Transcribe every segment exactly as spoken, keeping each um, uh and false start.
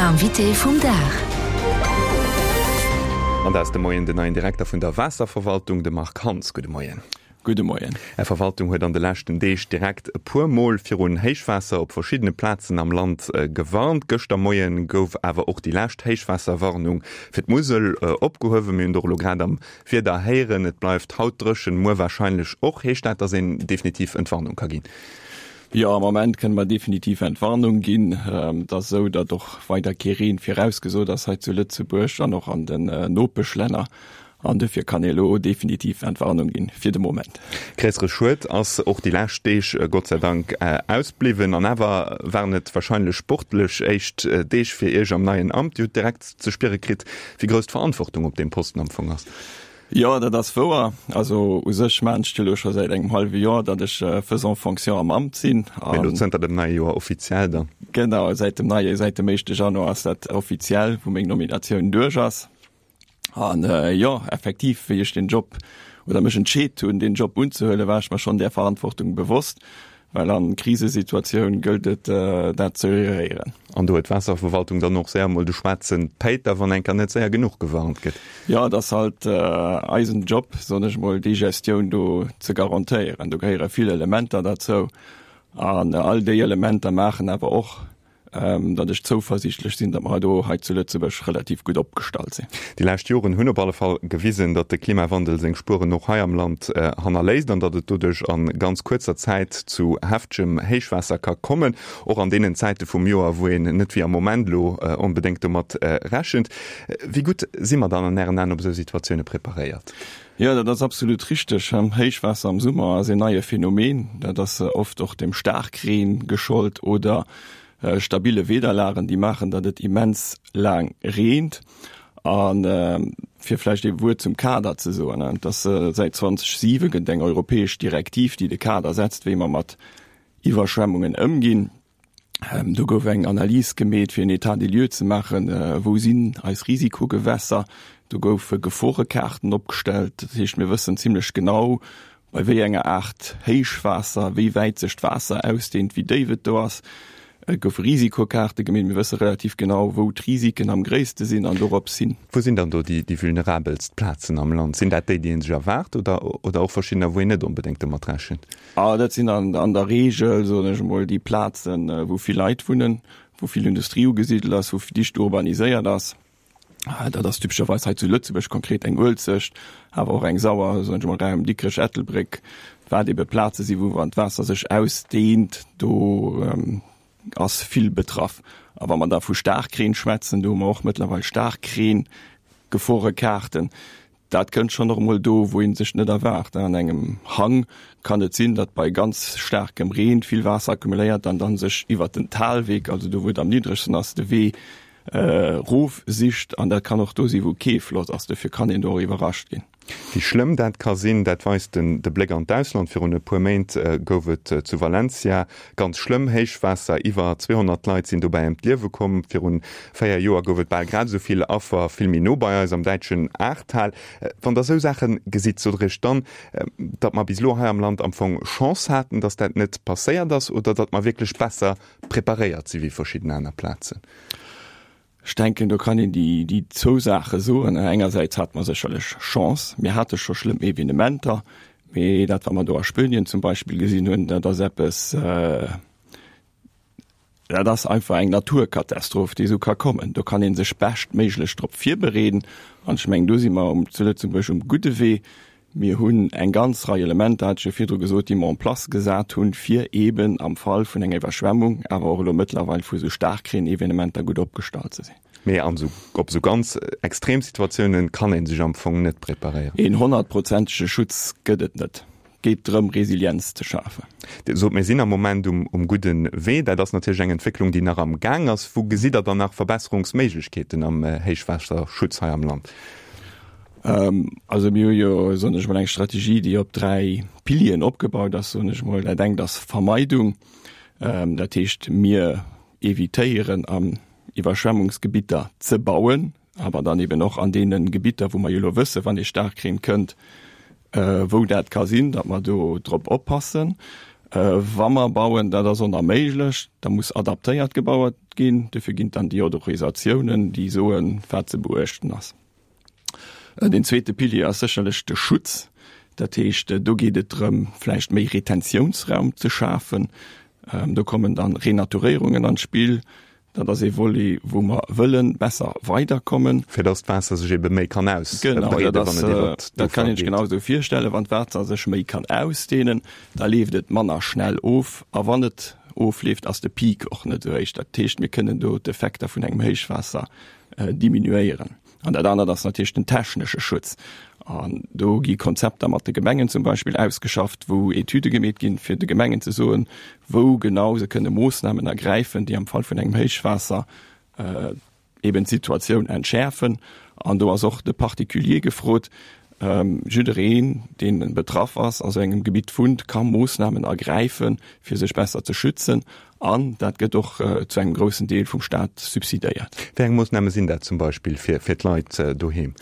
Invité vum Dag. An dat ass de Moien den neien Direkter vun der Waasserverwaltung, de Marc Hans. Gudde Moien. Gudde Moien. Är Verwaltung huet an de leschten Deeg direkt e puer Mol virun Héichwaasser op verschiddene Plazen am Land gewarnt. Gëschter Moien gouf awer och déi lescht Héichwaasserwarnung fir d'Musel opgehuewen. Mir hunn et och elo grad am Wieder héieren, et bleift haut dréchen, muer warscheinlech och. Heescht dat, datt een definitiv Entwarnung ka ginn? Jo, am Moment kënne mer definitiv Entwarnung ginn. Et ass esou, datt och weider kee Reen virausgesot ass hei zu Lëtzebuerg an och an den Nopeschlänner. An dofir kann ee elo definitiv Entwarnung ginn, fir de Moment. Gréissere Schued ass och déi lescht Deeg Gott sei Dank ausbliwwen. An awer waren et warscheinlech sportlech éischt Deeg fir Iech am neien Amt. Dir hutt direkt ze spiere kritt, wéi grouss d'Verantwortung op deem Posten am Fong ass. Jo, dat ass wouer. Also u sech maachen ech dat elo scho säit engem hallwe Joer, datt ech faisant fonction am Amt sinn. Mee elo zënter dem neie Joer offiziell dann? Genau, säit dem neie, säit dem éischte Januar ass dat offiziell, wou meng Nominatioun duerch ass. An jo, effektiv, wéi ech den Job oder mech entscheet hunn, deen Job unzehuelen, war ech mer schonn där Verantwortung bewosst. Well an Krisesituatioun gëllt et, dat ze geréieren. An do huet d'Waasserverwaltung dann och séier mol de schwaarze Péiter, wann enker net séier genuch gewarnt gëtt. Jo, et ass halt eisen Job, soen ech mol, déi Gestioun do ze garantéieren. Do gehéiere vill Elementer derzou. An all déi Elementer maachen awer och, datt ech zouversiichtlech sinn, datt mer do hei zu Lëtzebuerg relativ gutt opgestallt sinn. Déi lescht Joren hunn op alle Fall gewisen, datt de Klimawandel seng Spueren och hei am Land hannerléisst an datt et doduerch a ganz kuerzer Zäit zu heftegem Héichwaasser ka kommen, och an deenen Zäite vum Joer, wou een net wéi am Moment elo onbedéngt domat rechent. Wéi gutt si mer dann an Ären Aen op esou Situatioune preparéiert? Jo, dat ass absolut richteg. Héichwaasser am Summer ass een neie Phänomen. Dat ass oft och dem Staarkreen geschollt oder stabile Wiederlagen, déi maachen, datt et immens laang reent. A fir vläicht ee Wuert zum Kader ze soen, et ass säit zwanzeg siwe gëtt et eng europäesch Direktiv, déi de Kader setzt, wéi mer mat Iwwerschwemmungen ëmginn. Do gouf eng Analys gemeet, fir en État des lieux ze maachen, wou sinn eis Risikogewässer. Do goufe Geforekaarten opgestellt. Dat heescht, mir wëssen zimlech genau, bei wéi enger Aart Héichwaasser, wéi wäit sech d'Waasser ausdehnt, wéi déif et do ass. Et goufe Risikokaarte gemeet. Mir wësse relativ genau, wou d'Risiken am gréisste sinn an dorops hin. Wou sinn dann do déi vulnerabelst Plazen am Land? Sinn dat déi, déi ee sech erwaart oder, oder och verschiddener, wou een net onbedéngt domat rechent? Ah, dat sinn an, an der Reegel, soen ech emol, déi Plazen, wou vill Leit wunnen, wou vill Industrie ugesidelt ass, wou dicht urbaniséiert ass. Dat ass typescherweis hei zu Lëtzebuerg konkret eng Uelzecht, awer och eng Sauer, soen ech emol, Raum Dikrech, Ettelbréck, wat ebe Plaze si wou wann d'Waasser sech ausdehnt, do ass vill betraff. A wa mer da vu Staarkreen schwätzen, do hu mer och mëttlerweil Staarkreen-Geforekaarten. Dat kënnt schonn och emol do, wou ee sech net erwaart. An engem Hang kann et sinn, datt bei ganz staarkem Reen vill Waasser accumuléiert an dann sech iwwert den Talweg, also do wou et am niddregsten ass, de Wee erof sicht. An dat kann och do sinn, wou kee Floss ass. Dofir kann een do och iwwerrascht ginn. Wéi schlëmm dat ka sinn, dat weist de Bléck an d'Ausland. Virun e puer Méint gouf et zu Valencia ganz schlëmm Héichwaasser. Iwwer zweehonnert Leit sinn dobäi ëm d'Liewe komm. Virun véier Joer gouf et bal grad esou vill Affer, vill méi no bei eis am däitschen Ahrtal. Wann Der esou Saache gesitt, sot Der Iech dann, datt mer bis elo hei am Land am Fong Chance haten, datt dat net passéiert ass, oder datt mer wierklech besser preparéiert si wéi verschidden aner Plazen? Ech denken, do kann een déi zwou Saache soen. Engersäits hate mer sécherlech Chance. Mir hate scho schlëmm Evenementer, mee dat, wat mer do a Spuenien zum Beispill gesinn hunn, dat ass eppes, dat ass einfach eng Naturkatastroph, déi esou ka kommen. Do kann ee sech beschtméiglech drop virbereeden. An ech mengen, do si mer zu Lëtzebuerg um gudde Wee. Mir hunn eng ganz Rei Elementer, hat ech jo virdru gesot, déi mer en place gesat hunn, fir eeben am Fall vun enger Iwwerschwemmung, awer och elo mëttlerweil vu esou Staarkreenevenementer gutt opgestallt ze sinn. Mee an esou, op esou ganz extrem Situatiounen kann ee sech am Fong net preparéieren. Een honnertprozentege Schutz gëtt et net. Et geet drëm, Resilienz ze schafen. Dir sot, mir sinn am Moment um um gudde Wee. Dat ass natierlech eng Entwécklung, déi nach am Gaang ass. Wou gesitt Der dann nach Verbesserungsméiglechkeeten am Héichwaasserschutz hei am Land? Also mir hu jo, soen ech emol, eng Strategie, déi op dräi Pilieren opgebaut ass, soen ech emol. Dat engt ass Vermeidung, dat heescht mir evitéieren an Iwwerschwemmungsgebitter ze bauen, awer dann eben och an deene Gebitter, wou mer jo elo wëssen, wann ee Staarkreen kënnt, wou dat ka sinn, datt mer do drop oppassen. Wa mer bauen, dat ass onerméiglech, da muss adaptéiert gebaut ginn. Dofir ginn et dann déi Autorisatiounen, déi soen, wat ze beuechten ass. Deen zweete Pilier ass sécherlech de Schutz. Dat heescht, do geet et drëm, vläicht méi Retentiounsraum ze schafen. Do kommen dann Renaturéierungen an d'Spill. Dat ass ee Volet, wou mer wëlle besser weiderkommen. Fir dass d'Waasser sech ebe méi kann ausbreeden, wann et iwwert d'Ufer geet. Dat kann een sech genau esou virstellen. Wann d'Waasser sech méi kann ausdehnen, da leeft et manner schnell of. A wann et ofleeft, ass de Peak och net esou héich. Dat heescht, mir kënnen do d'Effekter vun engem Héichwaasser diminuéieren. An dat anert ass natierlech den technesche Schutz. An do gi Konzepter mat de Gemengen zum Beispill ausgeschafft, wou Etüde gemeet ginn, fir de Gemengen ze soen, wou genau se kënne Moossnamen ergräifen, déi am Fall vun engem Héichwaasser eben d'Situatioun entschäerfen. An do ass och de Particulier gefrot. Jiddereen, dee betraff ass, a sou engem Gebitt wunnt, ka Moossnamen ergräifen, fir sech besser ze schützen. An dat gëtt och zu engem groussen Deel vum Staat subsidéiert. Wéi eng Moossname sinn dat zum Beispill fir d'Leit doheem?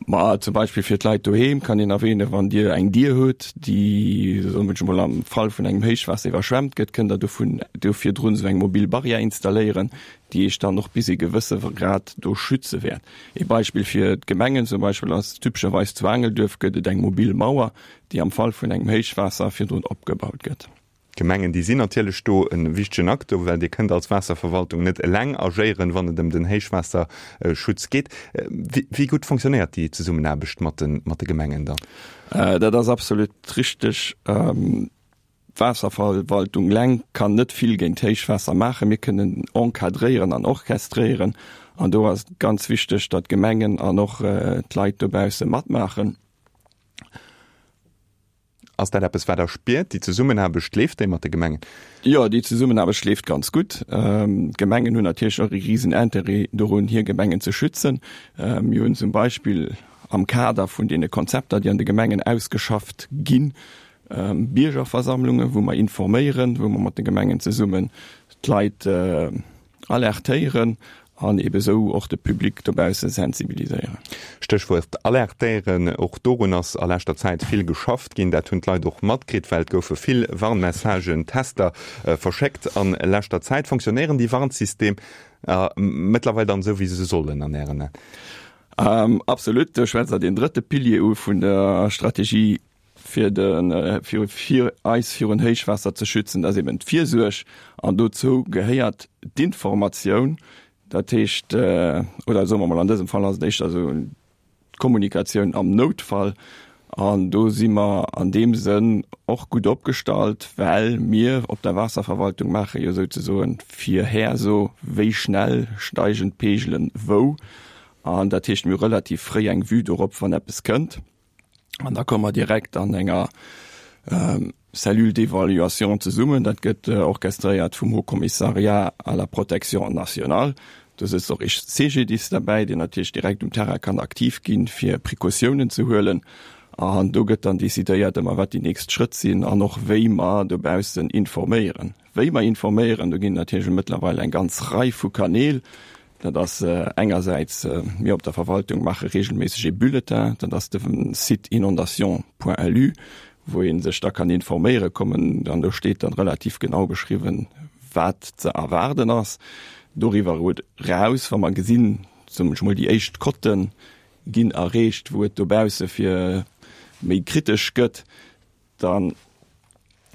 Ma zum Beispill fir d'Leit doheem kann een erwähnen, wann Dir eng Dier hutt, déi, soen ech emol, am Fall vun engem Héichwaasser iwwerschwemmt gëtt, kënnt Der dovun do virdrun esou eng mobil Barrière installéieren, déi Iech dann och bis ee gewësse Grad do schütze wäert. Ee Beispill fir d'Gemengen zum Beispill ass typescherweis zu Aangelduerf gëtt et eng mobil Mauer, déi am Fall vun engem Héichwaasser virdrun opgebaut gëtt. D'Gemengen, déi sinn natierlech do e wichtegen Acteur, well Dir kënnt als Waasserverwaltung net eleng agéieren, wann et ëm den Héichwaasserschutz geet. Wéi gutt fonctionnéiert déi Zesummenaarbecht mat de Gemengen dann? Dat ass absolut richteg. D'Waasserverwaltung eleng kann net vill géint Héichwaasser maachen. Mir kënnen encadréieren an orchestréieren. An do ass et ganz wichteg, datt d'Gemengen an och d'Leit dobausse matmaachen. Ass dat eppes, wat Der spiert, déi Zesummenaarbecht? Leeft déi mat de Gemengen? Jo, déi Zesummenaarbecht leeft ganz gutt. D'Gemengen hunn natierlech och e risen Interêt dorun, hir Gemengen ze schützen. Mir hunn zum Beispill am Kader vun deene Konzepter, déi an de Gemengen ausgeschafft ginn, Biergerversammlungen, wou mer informéieren, wou mer mat de Gemengen zesummen d'Leit alertéieren an ebe sou och de Public dobausse sensibiliséieren. Stéchwuert alertéieren, och dorun ass a leschter Zäit vill geschafft ginn. Dat hunn d'Leit och matkritt, well et goufe vill Warnmessagen, Tester verschéckt a leschter Zäit. Fonctionnéieren déi Warnsystemer mëttlerweil dann esou, wéi se sollen an Ären Aen? Absolut. Do schwätzt Der deen drëtte Pilier u vun der Strategie fir de fir fir eis virun Héichwaasser ze schützen, dat ass eben d'Virsuerg an dozou gehéiert d'Informatioun, dat heescht, oder soe mer mol, an dësem Fall ass et éischter esou d'Kommunikatioun am Noutfall an do si mer an deem Sënn och gutt opgestallt, well mir op der Waasserverwaltung maache jo souzesoen d'Virherso, wéi schnell steigen d'Peegelen wou an dat heescht, mir hu relativ fréi eng Vue dorop, wann eppes kënnt. An da komme mer direkt an enger Cellule d'évaluation zesummen. Dat gëtt orchestréiert vum Haut Commissariat à la protection nationale. Do sëtzt och ee CGDIS derbäi, deen natierlech direkt um Terrain kann aktiv ginn, fir Precautiounen ze huelen. An do gëtt dann decidéiert ëmmer, wat déi nächst Schrëtt sinn an och wéi mer dobaussen informéieren. Wéi mer informéieren, do ginn et natierlech mëttlerweil eng ganz Rei vu Kanäl. Dat ass engersäits, mir op der Verwaltung maache regelméisseg ee Bulletin, dat ass de Site inondation point lu, wou ee sech da kann informéiere kommen an do steet dann relativ genau beschriwwen, wat ze erwaarden ass. Doriwwer eraus, wa mer gesinn, soen ech mol, déi éischt Cotten ginn erreecht, wou et dobausse fir méi kritesch gëtt, Da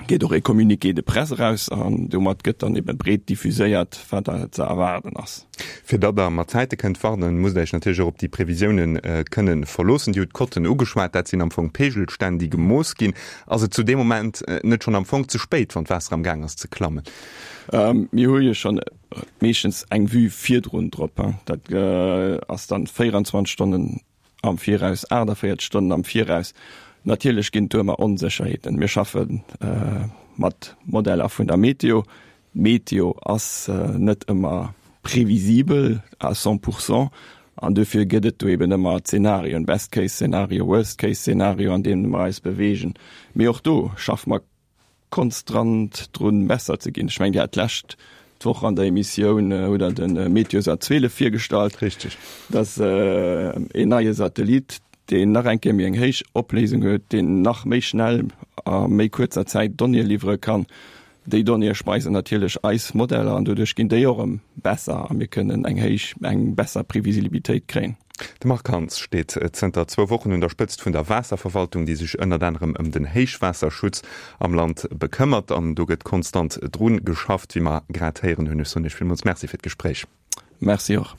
geet och e Communiqué de presse eraus an domat gëtt dann ebe breet diffuséiert, wat da ze erwaarden ass. Fir datt Der mat Zäite kënnt warnen, musst Der Iech natierlech och op déi Previsiounen kënnen verloossen. Dir hutt d'Cotten ugeschwat, dat sinn am Fong Peegelstänn, déi gemooss ginn. Ass et zu deem Moment net schonn am Fong ze spéit, wann d'Waasser am Gaang ass ze klammen? Mir hu jo schonn meeschtens eng Vue virdrun drop. Dat ass dann véierundzwanzeg Stonnen am Viraus, aachtavéierzeg Stonnen am Viraus. Natierlech ginn et do ëmmer Onsécherheeten. Mir schaffe mat Modeller vun der Meteo. D'Meteo ass net ëmmer previsibel à cent pour cent an dofir gëtt et do eben ëmmer Zenarioen, Best-Case-Szenario, Worst-Case-Szenario, an deene mer eis beweegen. Mee och do schaffe mer konstrant drun, besser ze ginn. Ech mengen, Dir hat d'lescht d'Woch an der Emissioun hutt Der de Meteosat zwielef virgestallt. Richtig. Dat ass een neie Satellit, deen nach eng Kéier méi eng héich Opléisung huet, deen nach méi schnell a méi kuerzer Zäit Donnéeë liwwere kann. Déi Donnéeë speisen natierlech eis Modeller an doduerch ginn déi och erëm besser a mir kënnen eng héich, eng besser Previsibilitéit kréien. De Marc Hans steet zënter zwou Wochen un der Spëtzt vun der Waasserverwaltung, déi sech ënnert anerem ëm den Héichwaasserschutz am Land bekëmmert. An do gëtt konstant dru geschafft, wéi mer grad héieren hunn. Ech soen Iech villmools Merci fir d'Gespréich. Merci och.